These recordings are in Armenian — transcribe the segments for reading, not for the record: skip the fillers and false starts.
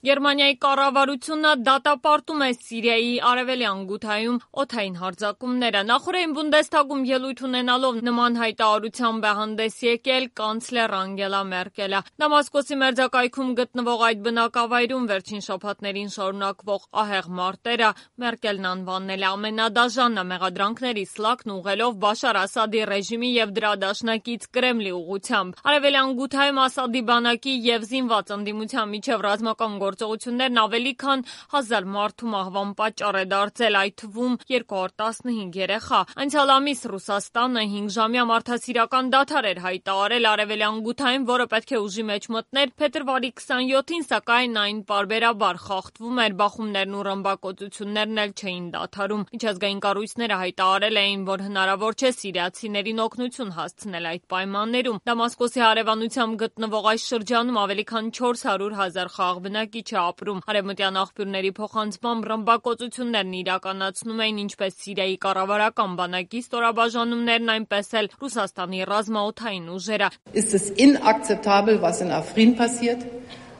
Գերմանիայի կառավարությունը դատապարտում է Սիրիայի արևելյան Գութայում օդային հարձակումները։ Նախորդին Բունդեսթագում ելույթ ունենալով նման հայտարարությամբ է հանդես եկել կանցլեր Անգելա Մերկելը։ Դամասկոսի մերձակայքում գտնվող այդ բնակավայրում վերջին շաբաթներին շարունակվող ահեղ մարտերը Մերկելն անվանել է ամենադաժանը մեղադրանքների սլաքն ուղղելով Բաշար Ասադի ռեժիմի եւ դրա դաշնակից Կրեմլի ուղղությամբ։ Արևելյան Գութայում Ասադի բանակի եւ զինված ընդդիմության միջև ռազմական գործողություններն ավելի քան 1000 մարդու մահվան պատճառ է դարձել, այդ թվում 215 երեխա։ Անցյալ ամիս Ռուսաստանը 5-ժամյա մարդասիրական դադար էր հայտարարել արևելյան Գութայում, որը պետք է ուժի մեջ մտներ փետրվարի 27-ին, սակայն այն պարբերաբար խախտվում էր, բախումներն ու ռմբակոծություններն էլ չէին դադարում։ Միջազգային կառույցները հայտարարել էին, որ հնարավոր չէ սիրիացիներին օգնություն հասցնել այդ պայմաններում։ Դամասկոսի հարևանությամբ գտնվող այս շրջանում ավելի քան 400 000 խաղաղ բնակիչ է ապրում։ Արևմտյան աղբյուրների փոխանցմամբ ռմբակոծություններն իրականացնում էին ինչպես Սիրիայի կառավարական բանակի ստորաբաժանումներն, այնպես էլ Ռուսաստանի ռազմաօդային ուժերը։ Ist es inakzeptabel, was in Afrin passiert,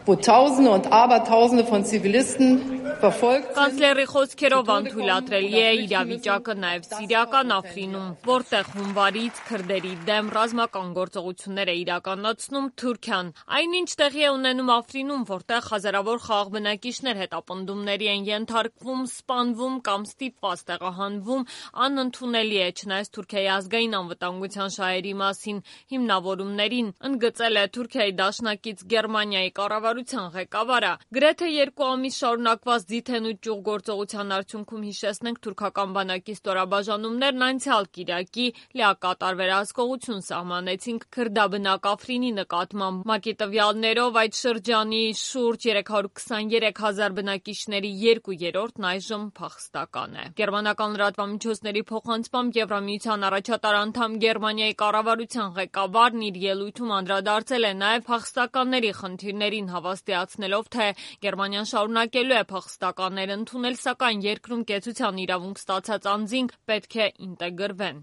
wo Tausende und Abertausende von Zivilisten verfolgt sind? Կանցլերի խոսքերով անթույլատրելի է իրավիճակը նաև Սիրիական Աֆրինում, որտեղ հունվարից քրդերի դեմ ռազմական գործողություններ է իրականացնում Թուրքիան։ Այնինչ տեղի է ունենում Աֆրինում, որտեղ հազարավոր խաղաղ բնակիչներ հետապնդումների են ենթարկվում, սպանվում կամ ստիպված տեղահանվում, անընդունելի է, չնայած Թուրքիայի ազգային անվտանգության շահերի մասին հիմնավորումներին, ընդգծել է Թուրքիայի դաշնակից Գերմանիայի կառավարության ղեկավարը։ Գրեթե 2 ամիս շարունակված ձիթեն ու ճյուղ գործողության արդյունքում, հիշեցնենք, թուրքական բանակի ստորաբաժանումներն անցյալ կիրակի լիակատար վերահսկողություն սահմանեցին քրդաբնակ Աֆրինի նկատմամբ։ ՄԱԿ-ի տվյալներով այդ շրջանի շուրջ 323 000 բնակիչների 2/3-ն այժմ փախստական է։ Գերմանական լրատվամիջոցների փոխանցմամբ Եվրամիության առաջատար անդամ Գերմանիայի կառավարության ղեկավարն իր ելույթում անդրադարձել է նաև փախստականների խնդիրներին, հավաստիացնելով, թե Գերմանիան շարունակելու է փախստականներ ընդունել, սակայն երկրում կեցության իրավունք ստացած անձինք պետք է ինտեգրվեն։